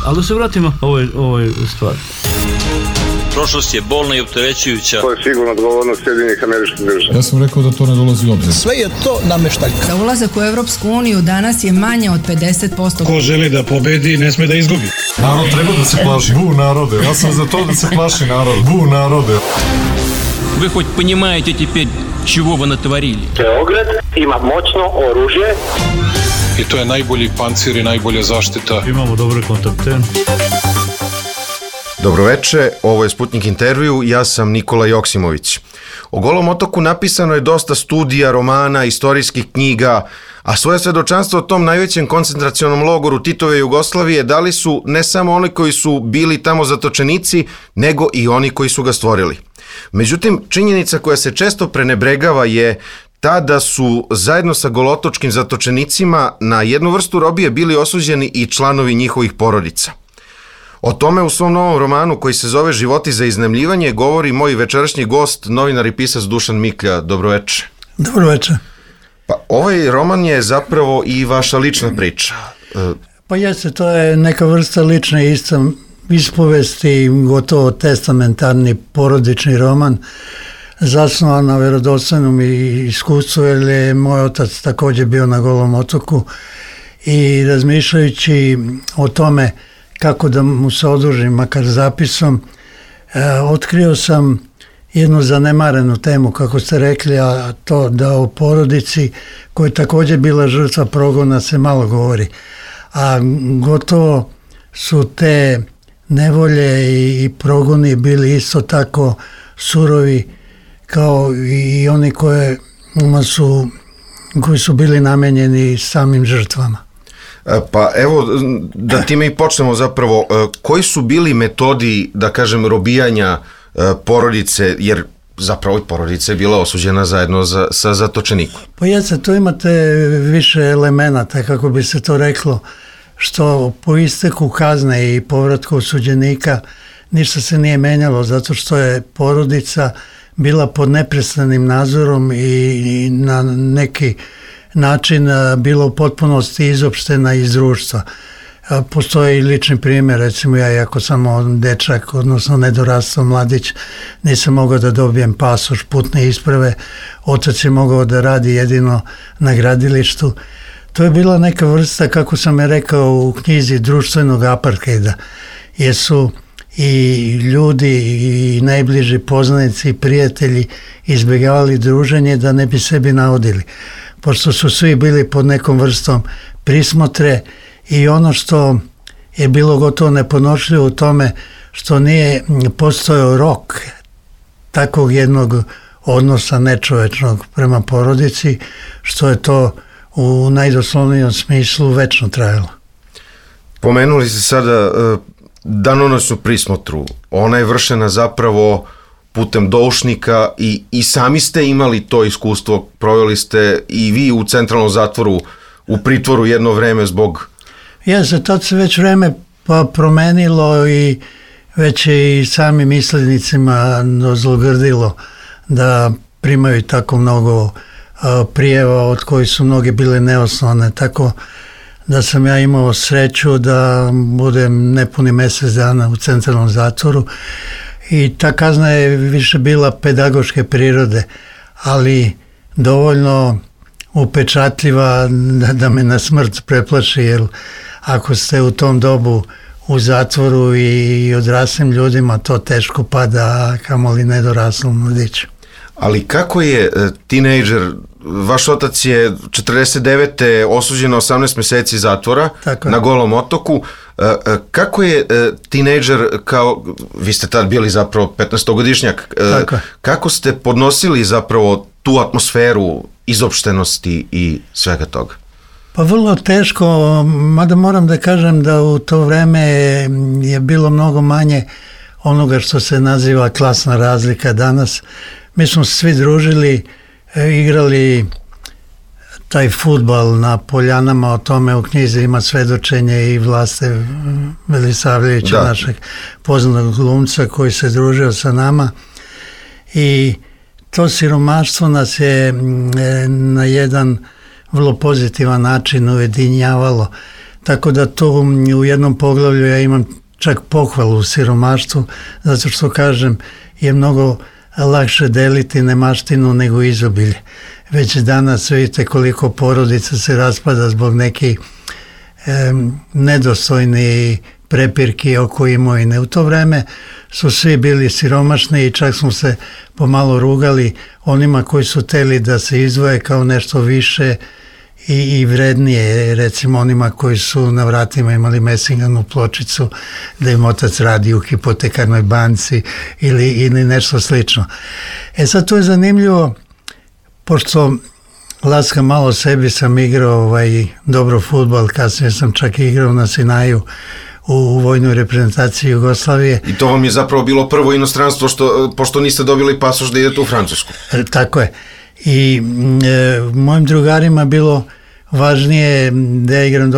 Ali da se vratimo ovoj stvari. Prošlost je bolna i opterećujuća. To je sigurno odgovornost Sjedinjenih Američkih Država. Ja sam rekao da to ne dolazi u obzir. Sve je to nameštaljka. Za ulazak u Evropsku uniju danas je manje od 50%. Ko želi da pobedi, ne sme da izgubi. Narod treba da se plaši. Bu narode. Ja sam za to da se plaši narod. Bu narode. Вы хоть понимаете теперь, чего вы натворили? Beograd ima moćno oružje. I to je najbolji pancir i najbolja zaštita. Imamo dobre kontakte. Dobroveče, ovo je Sputnik intervju, ja sam Nikola Joksimović. O Golom otoku napisano je dosta studija, romana, istorijskih knjiga, a svoje svedočanstvo o tom najvećem koncentracionom logoru Titove Jugoslavije dali su ne samo oni koji su bili tamo zatočenici, nego i oni koji su ga stvorili. Međutim, činjenica koja se često prenebregava je ta da su zajedno sa golotočkim zatočenicima na jednu vrstu robije bili osuđeni i članovi njihovih porodica. O tome u svom novom romanu koji se zove Životi za iznajmljivanje govori moj večerašnji gost, novinar i pisac Dušan Miklja. Dobroveče. Dobroveče. Pa ovaj roman je zapravo i vaša lična priča. Pa jeste, to je neka vrsta lične ispovesti, gotovo testamentarni porodični roman, zasnovan na vjerodostojnom iskustvu, jer je moj otac također bio na Golom otoku i razmišljajući o tome kako da mu se odužim, makar zapisom, otkrio sam jednu zanemarenu temu, kako ste rekli, a to da o porodici koja je također bila žrtva progona se malo govori. A gotovo su te nevolje i progoni bili isto tako surovi kao i oni koji su bili namenjeni samim žrtvama. Pa evo, da time i počnemo zapravo, koji su bili metodi, da kažem, robijanja porodice, jer zapravo i porodica je bila osuđena zajedno sa zatočenikom? Pa jeste, tu imate više elemenata, kako bi se to reklo, što po isteku kazne i povratku osuđenika ništa se nije menjalo, zato što je porodica bila pod neprestanim nadzorom i na neki način bila u potpunosti izopštena iz društva. Postoji i lični primjer, recimo ja, iako sam dečak, odnosno nedorastao mladić, nisam mogao da dobijem pasoš, putne isprave, otac je mogao da radi jedino na gradilištu. To je bila neka vrsta, kako sam je rekao u knjizi, društvenog apartheida, jer su i ljudi i najbliži poznanici i prijatelji izbjegavali druženje da ne bi sebi naudili, pošto su svi bili pod nekom vrstom prismotre i ono što je bilo gotovo neponošljivo u tome što nije postojao rok takvog jednog odnosa nečovečnog prema porodici, što je to u najdoslovnijem smislu večno trajalo. Pomenuli ste sada danonoćnu prismotru. Ona je vršena zapravo putem doušnika i sami ste imali to iskustvo, proveli ste i vi u centralnom zatvoru, u pritvoru jedno vreme zbog... Jeste, tad se već vreme promenilo i već je i samim islednicima dozlogrdilo da primaju tako mnogo prijeva od kojih su mnoge bile neosnovane, tako da sam ja imao sreću da budem nepuni mjesec dana u centralnom zatvoru i ta kazna je više bila pedagoške prirode, ali dovoljno upečatljiva da me na smrt preplaši, jer ako ste u tom dobu u zatvoru i odraslim ljudima, to teško pada, kamoli nedoraslom mladiću. Ali kako je tinejdžer, vaš otac je 49. osuđen na 18 mjeseci zatvora na Golom otoku, kako je tinejdžer, kao, vi ste tad bili zapravo 15-godišnjak, kako ste podnosili zapravo tu atmosferu izopštenosti i svega toga? Pa vrlo teško, mada moram da kažem da u to vreme je bilo mnogo manje onoga što se naziva klasna razlika danas. Mi smo se svi družili, igrali taj fudbal na poljanama, o tome u knjizi ima svedočenje i Vlaste Velisavljevića, našeg poznatog glumca koji se družio sa nama i to siromaštvo nas je na jedan vrlo pozitivan način ujedinjavalo. Tako da tu u jednom poglavlju ja imam čak pohvalu u siromaštvu, zato što kažem je mnogo lakše deliti nemaštinu nego izobilje. Već danas vidite koliko porodica se raspada zbog nekih nedostojni prepirki oko imovine. U to vreme su svi bili siromašni i čak smo se pomalo rugali onima koji su hteli da se izdvoje kao nešto više i vrednije, recimo onima koji su na vratima imali mesinganu pločicu da im otac radi u hipotekarnoj banci ili nešto slično. Sad to je zanimljivo, pošto laskam malo sebi, sam igrao dobro fudbal, kasnije sam čak igrao na Sinaju u vojnoj reprezentaciji Jugoslavije. I to vam je zapravo bilo prvo inostranstvo, pošto niste dobili pasoš da idete u Francusku. Tako je. I mojim drugarima bilo važnije da ja igram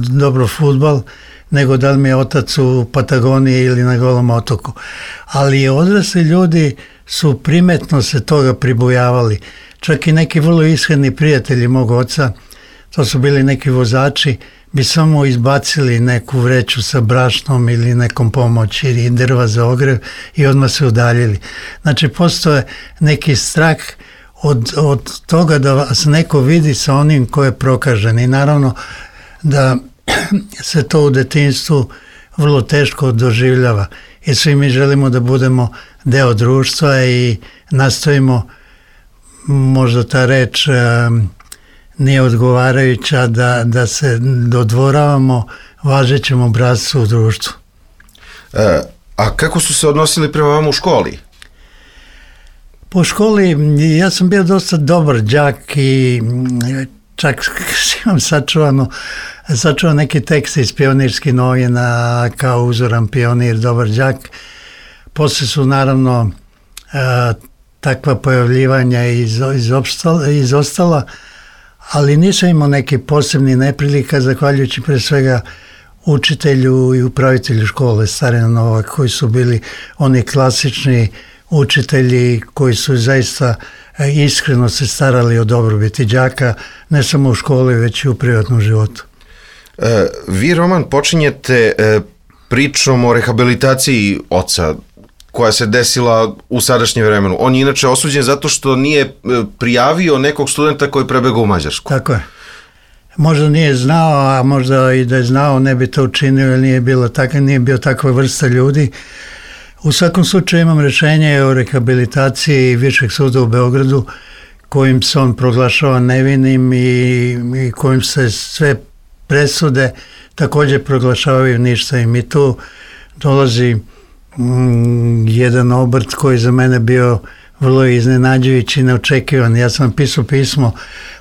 dobro fudbal nego da li mi je otac u Patagoniji ili na Golom otoku. Ali odrasli ljudi su primetno se toga pribojavali. Čak i neki vrlo iskreni prijatelji mog oca, to su bili neki vozači, bi samo izbacili neku vreću sa brašnom ili nekom pomoći ili drva za ogrev i odmah se udaljili. Znači, postoje neki strah od toga da vas neko vidi sa onim ko je prokažen i naravno da se to u detinjstvu vrlo teško doživljava i svi mi želimo da budemo deo društva i nastojimo, možda ta reč nije odgovarajuća, da se dodvoravamo važećem obrascu u društvu. A kako su se odnosili prema vama u školi? Po školi ja sam bio dosta dobar đak i čak imam sačuvan neki tekst iz pionirskih novina kao uzoran pionir, dobar đak. Poslije su naravno takva pojavljivanja izostala, ali nisam imao neki posebni neprilika, zahvaljujući pre svega učitelju i upravitelju škole Starina Novak, koji su bili oni klasični učitelji koji su zaista iskreno se starali o dobrobiti đaka, ne samo u školi, već i u privatnom životu. Vi, Roman, počinjete pričom o rehabilitaciji oca koja se desila u sadašnjem vremenu. On je inače osuđen zato što nije prijavio nekog studenta koji je prebegao u Mađarsku. Tako je. Možda nije znao, a možda i da je znao ne bi to učinio, jer nije bio takva vrsta ljudi. U svakom slučaju imam rješenje o rehabilitaciji Višeg suda u Beogradu, kojim se on proglašava nevinim i kojim se sve presude također proglašavaju ništavim. I tu dolazi jedan obrt koji za mene bio vrlo iznenađujući i neočekivan. Ja sam pisao pismo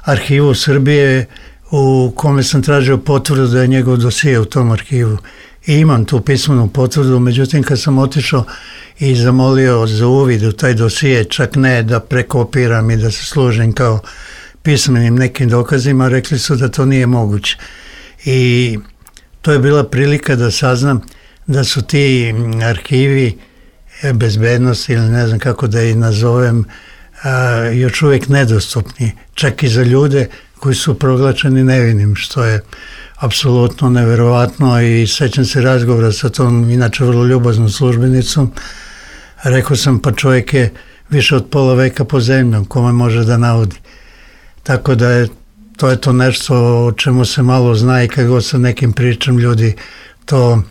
Arhivu Srbije u kome sam tražio potvrdu da je njegov dosije u tom arhivu. I imam tu pismenu potvrdu, međutim kad sam otišao i zamolio za uvid u taj dosije, čak ne da prekopiram i da se služim kao pismenim nekim dokazima, rekli su da to nije moguće. I to je bila prilika da saznam da su ti arhivi bezbednosti ili ne znam kako da ih nazovem, još uvijek nedostupni, čak i za ljude koji su proglašeni nevinim, što je apsolutno neverovatno. I sećam se razgovora sa tom inače vrlo ljubaznom službenicom. Rekao sam, pa čovjek je više od pola veka pod zemljom, kome može da navodi. Tako da je to nešto o čemu se malo zna i kad god sa nekim pričam, ljudi to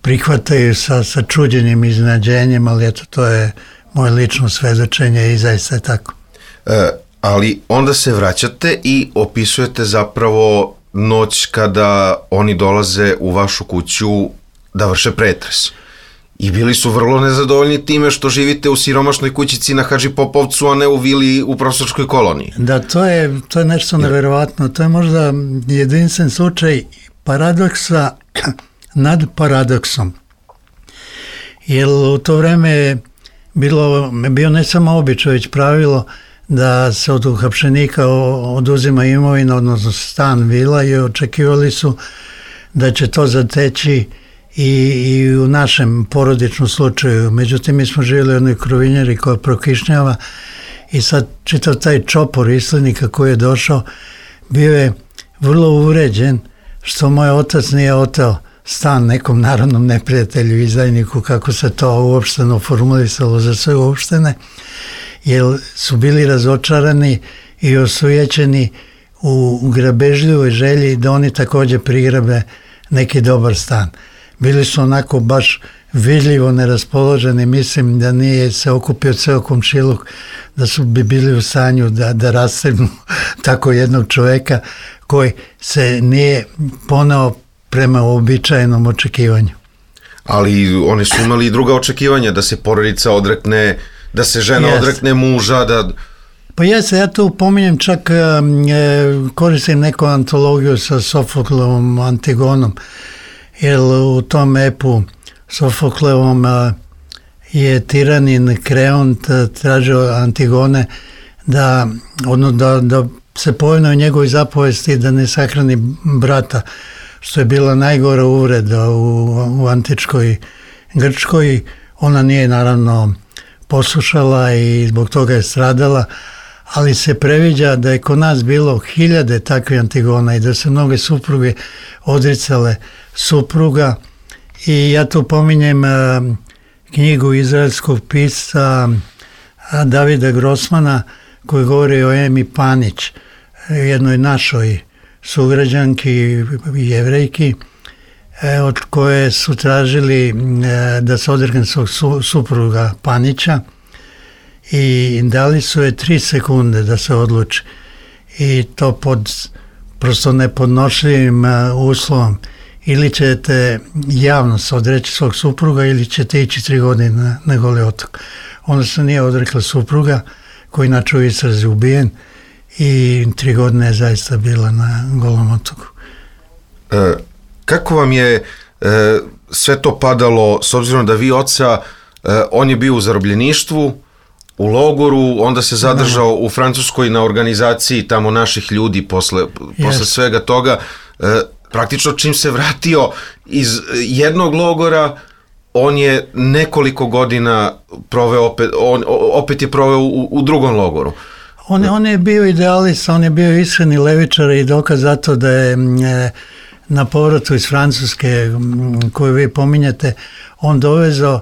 prihvataju sa čuđenjem i iznenađenjem, ali eto, to je moje lično svedočenje i zaista je tako. Ali onda se vraćate i opisujete zapravo noć kada oni dolaze u vašu kuću da vrše pretres. I bili su vrlo nezadovoljni time što živite u siromašnoj kućici na Hadži Popovcu, a ne u vili u profesorskoj koloniji. Da, to je nešto neverovatno. To je možda jedinstven slučaj paradoksa nad paradoksom. Jer u to vreme je bio ne samo običaj, već pravilo da se od uhapšenika oduzima imovina, odnosno stan, vila, i očekivali su da će to zateći i u našem porodičnom slučaju. Međutim, mi smo živjeli u jednoj krovinjari koja prokišnjava i sad čitav taj čopor islednika koji je došao bio je vrlo uređen, što moj otac nije oteo stan nekom narodnom neprijatelju, izdajniku, kako se to uopšteno formulisalo za sve uopštene, jer su bili razočarani i osujećeni u grabežljivoj želji da oni također prigrabe neki dobar stan. Bili su onako baš vidljivo neraspoloženi, mislim da nije se okupio ceo komšiluk, da su bi bili u stanju da rastegnu tako jednog čoveka koji se nije poneo prema uobičajenom očekivanju. Ali oni su imali i druga očekivanja, da se porodica odrekne, da se žena odrekne muža, da... Pa jeste, ja tu pominjem čak, koristim neku antologiju sa Sofoklevom Antigonom, jer u tom epu Sofoklevom je tiranin Kreont tražio Antigone da se povine u njegovoj zapovesti da ne sahrani brata, što je bila najgora uvreda u antičkoj Grčkoj. Ona nije naravno poslušala i zbog toga je stradala, ali se previđa da je kod nas bilo 1000 takvih Antigona i da se mnoge supruge odricale supruga. I ja tu pominjem knjigu izraelskog pisca Davida Grossmana koji govori o Emi Panić, jednoj našoj sugrađanki, Jevrejki, od koje su tražili da se odrekne svog supruga Panića i dali su je 3 sekunde da se odluči. I to pod prosto nepodnošljivim uslovom. Ili ćete javno se odreći svog supruga ili ćete ići 3 godine na Goli otok. Ona se nije odrekla supruga, koji inače u istrazi ubijen, i 3 godine je zaista bila na Golom otoku. Kako vam je sve to padalo, s obzirom da vi oca, on je bio u zarobljeništvu, u logoru, onda se zadržao u Francuskoj na organizaciji tamo naših ljudi posle svega toga. Praktično čim se vratio iz jednog logora, on je nekoliko godina proveo opet je proveo u drugom logoru. On je bio idealista, on je bio iskreni levičar i dokaz zato da je na povratu iz Francuske, koju vi pominjete, on dovezao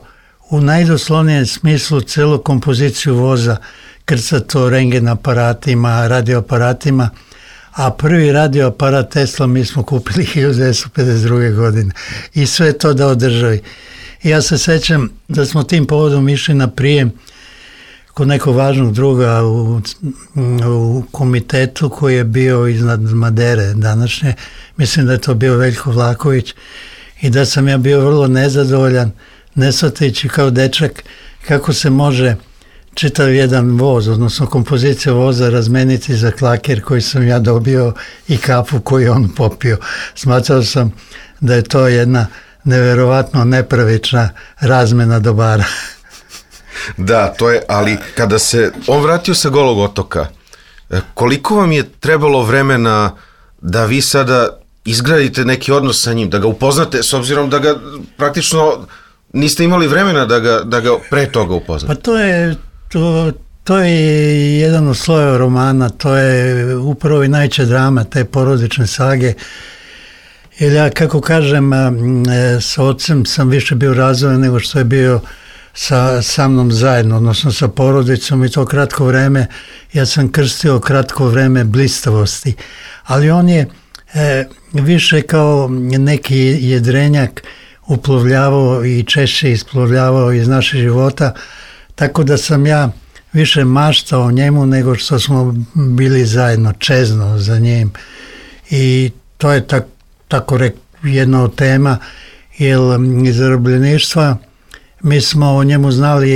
u najdoslovnijem smislu celu kompoziciju voza, krcato rengen aparatima, radioaparatima, a prvi radioaparat Tesla mi smo kupili 1952. godine i sve to da održavi. Ja se sećam da smo tim povodom išli na prijem kod nekog važnog druga u komitetu koji je bio iznad Madere današnje, mislim da je to bio Veljko Vlaković, i da sam ja bio vrlo nezadovoljan, ne shvatajući kao dečak kako se može čitav jedan voz, odnosno kompozicija voza razmeniti za klaker koji sam ja dobio i kafu koju on popio. Smatrao sam da je to jedna neverovatno nepravična razmena dobara. Da, to je, ali kada se on vratio sa Golog otoka, koliko vam je trebalo vremena da vi sada izgradite neki odnos sa njim, da ga upoznate, s obzirom da ga praktično niste imali vremena da ga pre toga upoznate? Pa to je jedan od slojeva romana, to je upravo i najveća drama te porodične sage. Jer ja, kako kažem, sa ocem sam više bio razvojen nego što je bio sa mnom zajedno, odnosno sa porodicom, i to kratko vreme. Ja sam krstio kratko vreme blistavosti, ali on je više kao neki jedrenjak uplovljavao i češće isplovljavao iz naših života, tako da sam ja više maštao o njemu nego što smo bili zajedno, čezno za njim. I to je tako jedna od tema, jer iz zarobljeništva mi smo o njemu znali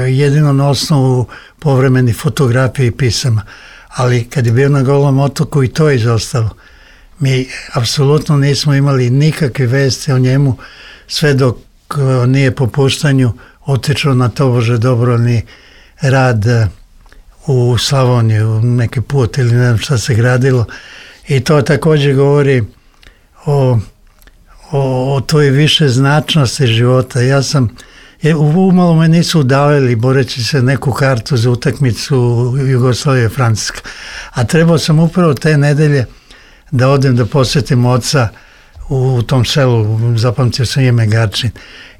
jedino na osnovu povremenih fotografija i pisama, ali kad je bio na Golom otoku i to je izostalo. Mi apsolutno nismo imali nikakve vesti o njemu sve dok nije po puštanju otišao na tobože dobrovoljni rad u Slavoniju, neki put ili ne znam šta se gradilo, i to također govori o toj više značnosti života. Umalo me nisu udavili boreći se neku kartu za utakmicu Jugoslavije Francuska, a trebao sam upravo te nedelje da odem da posjetim oca u tom selu, zapamtio sam ime Garčin.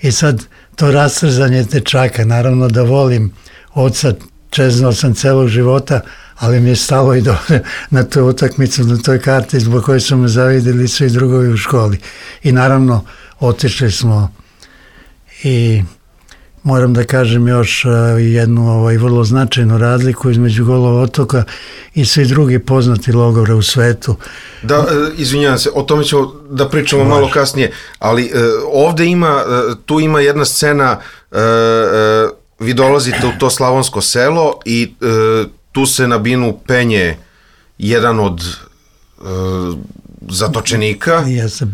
I sad to rastrzanje dečaka, naravno da volim oca, čeznao sam celog života, ali mi je stalo i na toj utakmicu, na toj karti zbog koje su me zavidjeli svi drugovi u školi. I naravno otišli smo i moram da kažem još jednu vrlo značajnu razliku između Golog otoka i svi drugi poznati logora u svetu. Da, izvinjavam se, o tome ćemo da pričamo malo kasnije, ali ovde tu ima jedna scena, vi dolazite u to slavonsko selo i tu se na binu penje jedan od zatočenika. Jeste,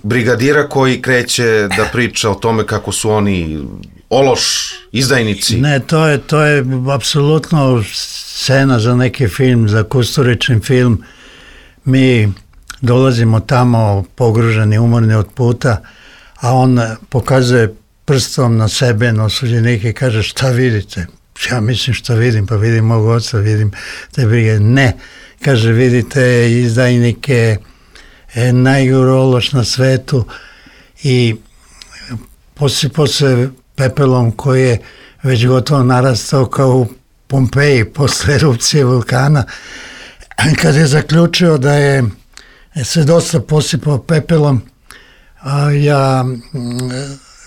brigadira koji kreće da priča o tome kako su oni ološ, izdajnici. Ne, to je apsolutno scena za neki film, za Kusturičin film. Mi dolazimo tamo pogruženi, umorni od puta, a on pokazuje prstom na sebe, na osuđenike i kaže šta vidite? Ja mislim šta vidim, pa vidim mog oca, vidim te brige. Ne, kaže vidite izdajnike, najgoru ološ na svetu i posipao se pepelom koji je već gotovo narastao kao u Pompeji posle erupcije vulkana. Kad je zaključio da je se dosta posipao pepelom, ja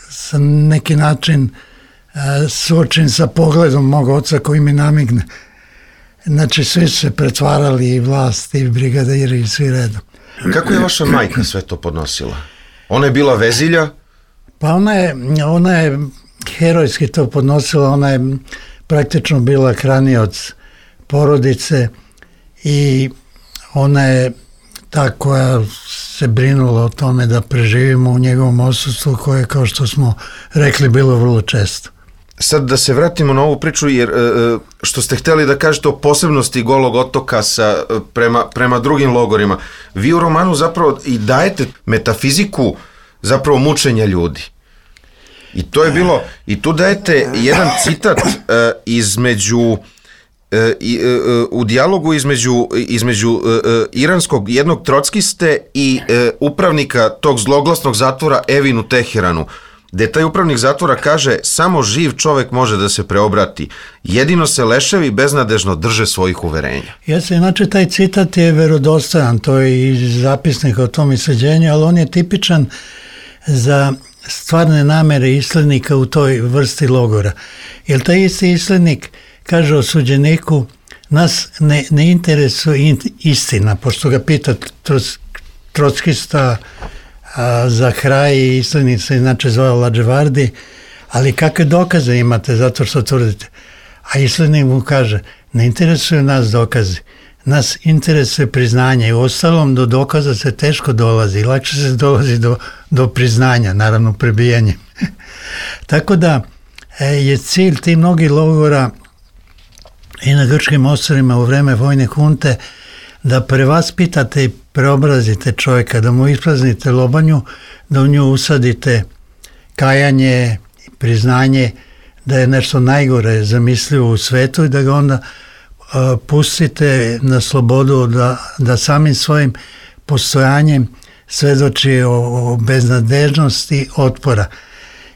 sam neki način suočen sa pogledom mog oca koji mi namigne. Znači svi su se pretvarali, i vlast, i brigadiri, i svi redom. Kako je vaša majka sve to podnosila? Ona je bila vezilja? Pa ona je herojski to podnosila, ona je praktično bila hranioc porodice i ona je ta koja se brinula o tome da preživimo u njegovom odsustvu koje, kao što smo rekli, bilo vrlo često. Sad da se vratimo na ovu priču, jer što ste hteli da kažete o posebnosti Golog otoka prema drugim logorima, vi u romanu zapravo i dajete metafiziku zapravo mučenja ljudi. I to je bilo, i tu dajete jedan citat u dijalogu između iranskog jednog trockiste i upravnika tog zloglasnog zatvora Evinu Teheranu, gde taj upravnik zatvora kaže samo živ čovek može da se preobrati, jedino se leševi beznadežno drže svojih uverenja. Jeste, znači taj citat je verodostojan, to je i zapisnik o tom isleđenju, ali on je tipičan za stvarne namere islednika u toj vrsti logora. Jer taj isti islednik kaže osuđeniku, nas ne interesuje istina, pošto ga pita trockista za kraj, islednik se inače zvao Lađevardi, ali kakve dokaze imate zato što tvrdite? A islednik mu kaže, ne interesuju nas dokazi, nas interesuje priznanje i ostalom do dokaza se teško dolazi, lakše se dolazi do priznanja, naravno prebijanjem. Tako da je cilj tih mnogih logora i na grčkim ostrvima u vreme vojne hunte da prevaspitate i preobrazite čovjeka, da mu ispraznite lobanju, da u nju usadite kajanje, priznanje da je nešto najgore zamislivo u svetu i da ga onda pustite na slobodu da samim svojim postojanjem svedoči o beznadežnosti otpora.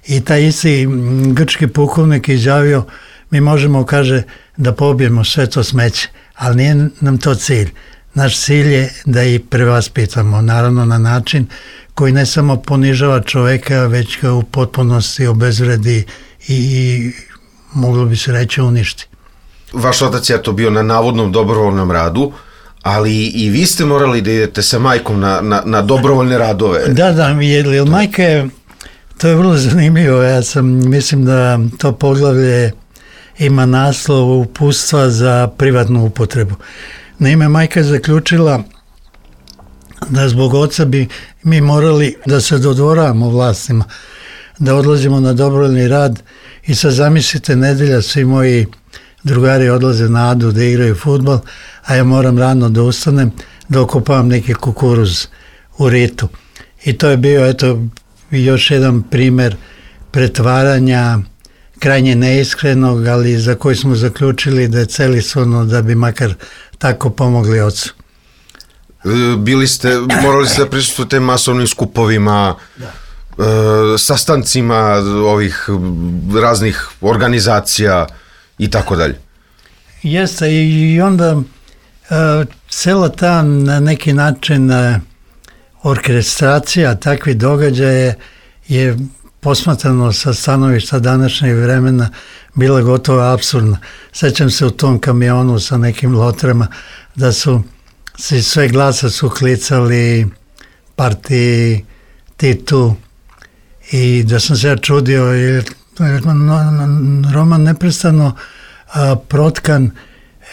I taj isti grčki pukovnik je izjavio, mi možemo, kaže, da pobijemo sve to smeće, ali nije nam to cilj. Naš cilj je da ih prevaspitamo, naravno na način koji ne samo ponižava čoveka, već ga u potpunosti obezvredi i moglo bi se reći uništi. Vaš otac je to bio na navodnom dobrovoljnom radu, ali i vi ste morali da idete sa majkom na dobrovoljne radove. Da, jer majka je, to je vrlo zanimljivo, mislim da to poglavlje ima naslov uputstva za privatnu upotrebu. Naime, majka je zaključila da zbog oca bi mi morali da se dodvoravamo vlastima, da odlazimo na dobrovoljni rad i sad zamislite nedelja, svi moji drugari odlaze na Adu da igraju fudbal, a ja moram rano da ustanem da okopavam neki kukuruz u ritu. I to je bio, još jedan primer pretvaranja krajnje neiskrenog, ali za koji smo zaključili da je celishodno da bi makar tako pomogli ocu. Morali ste da prisustujete masovnim skupovima, sastancima ovih raznih organizacija i tako dalje. Jeste, i onda cela ta na neki način orkestracija takvih događaja je posmatrano sa stanovišta današnjeg vremena bila gotovo apsurdna. Sećam se u tom kamionu sa nekim lotrama da su se sve glasa su klicali partiji, Titu, i da sam se ja čudio, jer Roman neprestano protkan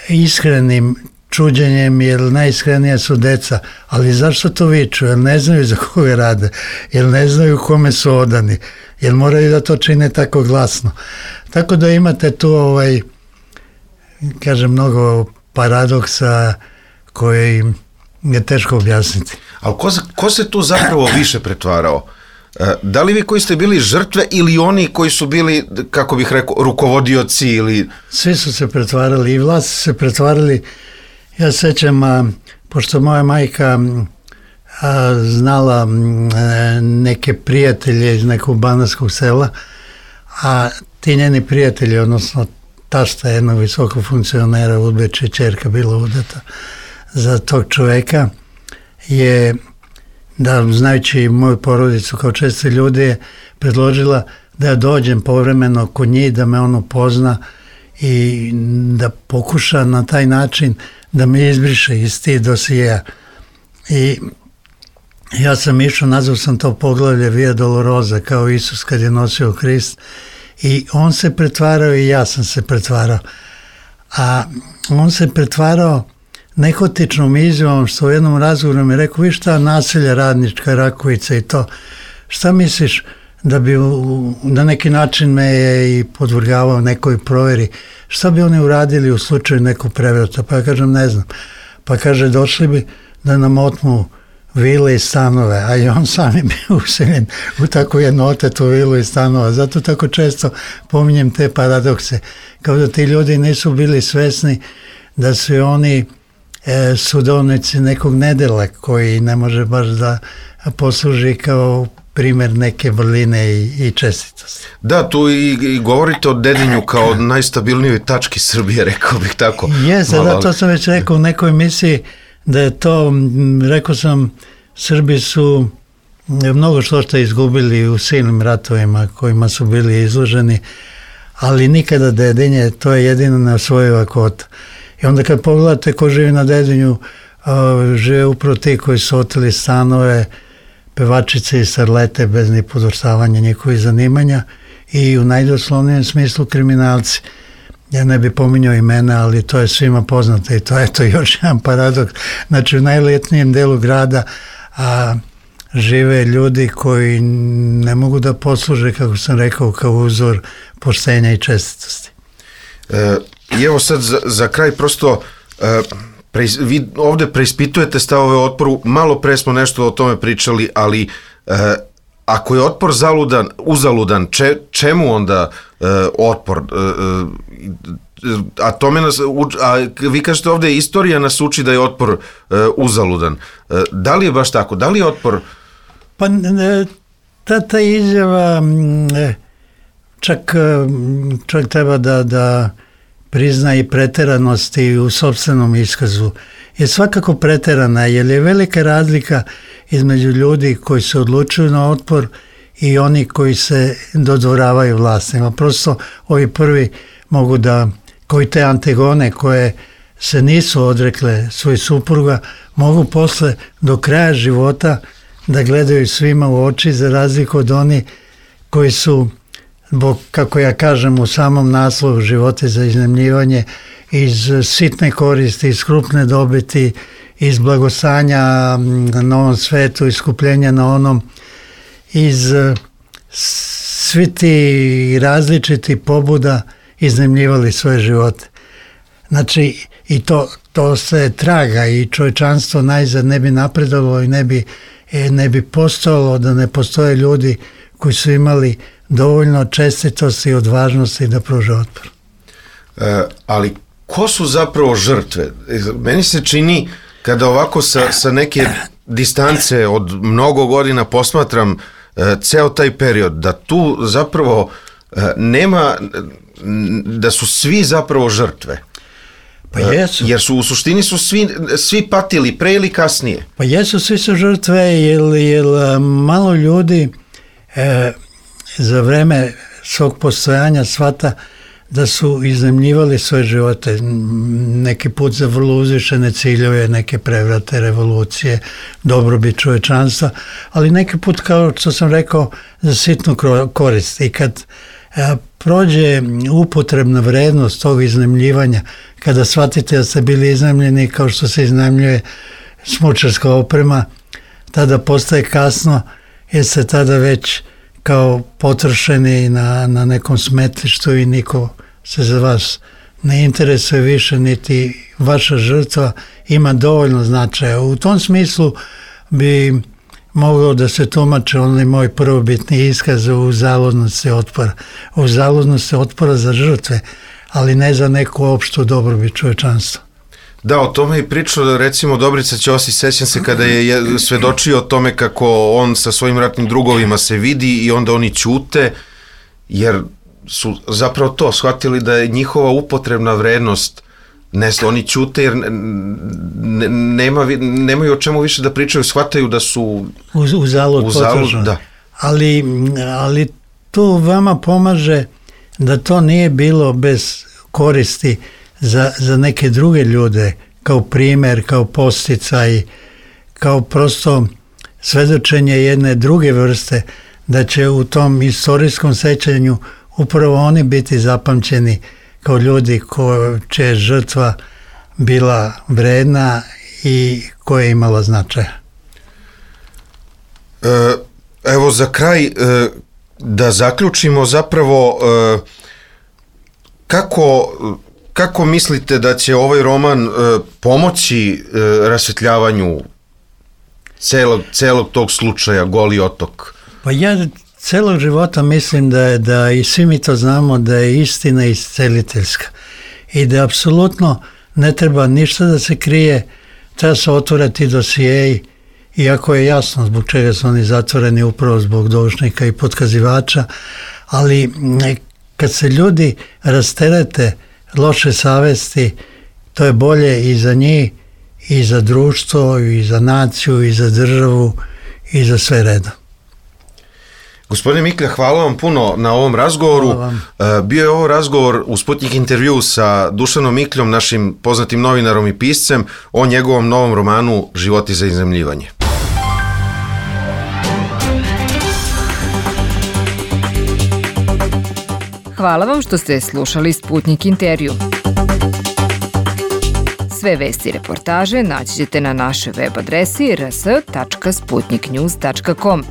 iskrenim čuđenjem, jer najiskrenija su deca, ali zašto to viču? Jer ne znaju za koga rade, jer ne znaju kome su odani, jer moraju da to čine tako glasno. Tako da imate tu kažem, mnogo paradoksa koji je teško objasniti. Ali ko se tu zapravo više pretvarao? Da li vi koji ste bili žrtve ili oni koji su bili, kako bih rekao, rukovodioci ili... Svi su se pretvarali i vlasti su se pretvarali. Ja sećam, pošto moja majka znala neke prijatelje iz nekog banatskog sela, a ti njeni prijatelji, odnosno tašta jednog visokog funkcionera Udbeče, ćerka bila udata za tog čoveka, je, da znajući moju porodicu kao česti ljudi, je predložila da ja dođem povremeno kod njih, da me on upozna i da pokuša na taj način da me izbriše iz tih dosijeja. I ja sam išao, nazvao sam to poglavlje Via Dolorosa, kao Isus kad je nosio krist, i on se pretvarao i ja sam se pretvarao. A on se pretvarao nehotičnom izjavom, što u jednom razgovoru mi je rekao, vi šta, naselja Radnička, Rakovica i to, šta misliš da bi na neki način me je i podvrgavao nekoj proveri, šta bi oni uradili u slučaju nekog prevrata? Pa ja kažem, ne znam. Pa kaže, došli bi da nam otmu vile i stanove, a i on sam je bio useljen u tako jednu otetu vilu i stanova. Zato tako često pominjem te paradokse, kao da ti ljudi nisu bili svesni da su oni sudovnici nekog nedela koji ne može baš da posluži kao primjer neke vrline i čestitosti. Da, tu i govorite o Dedinju kao najstabilnijoj tački Srbije, rekao bih tako. Jeste, da, to sam već rekao u nekoj emisiji, da je to, rekao sam, Srbi su mnogo što izgubili u silnim ratovima kojima su bili izloženi, ali nikada Dedinje, to je jedino neosvojiva kvota. I onda kad pogledate ko živi na Dedinju, žive upravo ti koji su oteli stanove, pevačice i starlete bez ni podvrstavanja njihovih zanimanja i u najdoslovnijem smislu kriminalci. Ja ne bi pominjao imena, ali to je svima poznato i to je to još jedan paradoks. Znači u najletnijem delu grada žive ljudi koji ne mogu da posluže, kako sam rekao, kao uzor poštenja i čestitosti. I evo sad za kraj prosto vi ovde preispitujete stavove o otporu, malo pre smo nešto o tome pričali, ali ako je otpor uzaludan, čemu onda otpor? A vi kažete ovde, istorija nas uči da je otpor uzaludan. Da li je baš tako? Da li je otpor... Pa ta izjava čak treba da prizna i preteranosti u sopstvenom iskazu. Je svakako preterana, jer je velika razlika između ljudi koji se odlučuju na otpor i oni koji se dodvoravaju vlastima. Prosto ovi prvi mogu da, koji te Antigone koje se nisu odrekle svoj supruga, mogu posle do kraja života da gledaju svima u oči, za razliku od oni koji su, kako ja kažem u samom naslovu, živote za iznajmljivanje, iz sitne koristi, iz krupne dobiti, iz blagostanja na ovom svetu, iskupljenja na onom, iz svi ti različiti pobuda iznajmljivali svoje živote. Znači, i to se traga i čovječanstvo najzad ne bi napredovalo i ne bi postojalo da ne postoje ljudi koji su imali dovoljno čestitosti i odvažnosti da pruže otpor. Ali ko su zapravo žrtve? Meni se čini Kada ovako sa neke distance od mnogo godina posmatram ceo taj period, da tu zapravo nema, da su svi zapravo žrtve. Pa jesu. Jer su u suštini su svi patili pre ili kasnije. Pa jesu, svi su žrtve, jer malo ljudi za vreme svog postojanja shvata da su iznajmljivali svoje živote, neki put za vrlo uzvišene ciljeve, neke prevrate, revolucije, dobrobit čovečanstva, ali neki put, kao što sam rekao, za sitnu korist. I kad prođe upotrebna vrednost tog iznajmljivanja, kada shvatite da ste bili iznajmljeni kao što se iznajmljuje smučarska oprema, tada postaje kasno, jer ste tada već kao potrošeni na nekom smetlištu i niko se za vas ne interesuje više, niti vaša žrtva ima dovoljno značaja. U tom smislu bi mogao da se tumače onaj moj prvobitni iskaz o uzaludnosti otpora. O uzaludnosti otpora za žrtve, ali ne za neku opštu dobrobit čovečanstva. Da, o tome je pričao, recimo, Dobrica Ćosić, sećam se kada je svedočio o tome kako on sa svojim ratnim drugovima se vidi i onda oni ćute, jer su zapravo to shvatili da je njihova upotrebna vrednost, oni ćute jer nemaju o čemu više da pričaju, shvataju da su uzalud potrošeno. Da. Ali to vama pomaže da to nije bilo bez koristi za neke druge ljude, kao primjer, kao posticaj, kao prosto svedočenje jedne druge vrste, da će u tom istorijskom sećanju upravo oni biti zapamćeni kao ljudi čija je žrtva bila vredna i koja je imala značaja. Evo za kraj da zaključimo zapravo kako mislite da će ovaj roman pomoći rasvetljavanju celog tog slučaja Goli otok? Pa ja celog života mislim da i svi mi to znamo da je istina isceliteljska i da apsolutno ne treba ništa da se krije, treba se otvoriti dosijeji, iako je jasno zbog čega su oni zatvoreni, upravo zbog doušnika i potkazivača, ali kad se ljudi rasterete loše savesti, to je bolje i za njih, i za društvo, i za naciju, i za državu, i za sve redom. Gospodine Miklja, hvala vam puno na ovom razgovoru. Bio je ovo razgovor u Sputnik intervju sa Dušanom Mikljom, našim poznatim novinarom i piscem, o njegovom novom romanu Životi za iznajmljivanje. Hvala vam što ste slušali Sputnik intervju. Sve vesti i reportaže naći ćete na našoj web adresi rs.sputniknews.com.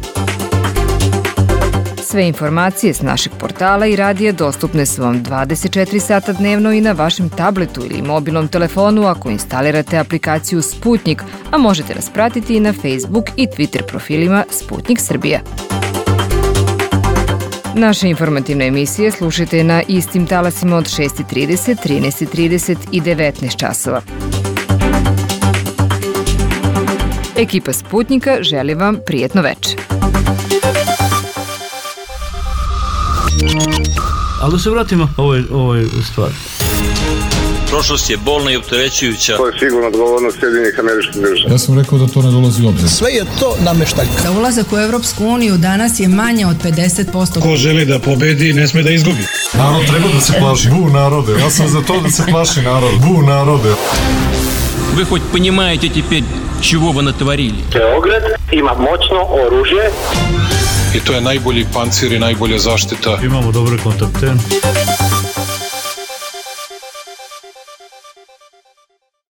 Sve informacije s našeg portala i radija dostupne su vam 24 sata dnevno i na vašem tabletu ili mobilnom telefonu ako instalirate aplikaciju Sputnik, a možete nas pratiti i na Facebook i Twitter profilima Sputnik Srbija. Naše informativne emisije slušajte na istim talasima od 6:30, 13:30 i 19 časova. Ekipa Sputnika želi vam prijetno večer. Ali da se vratimo ovoj stvari. Prošlost je bolna i opterećujuća. To je sigurno odgovornost Sjedinjenih Američkih Država. Ja sam rekao da to ne dolazi u obzir. Sve je to nameštaljka. Za ulazak u Evropsku uniju danas je manje od 50%. Ko želi da pobedi, ne sme da izgubi. Narod treba da se plaši. Bu narode. Ja sam za to da se plaši narod. Bu narode. Вы хоть понимаете теперь, чего вы натворили? Beograd ima moćno oružje. I to je najbolji pancir i najbolja zaštita. Imamo dobre kontakte.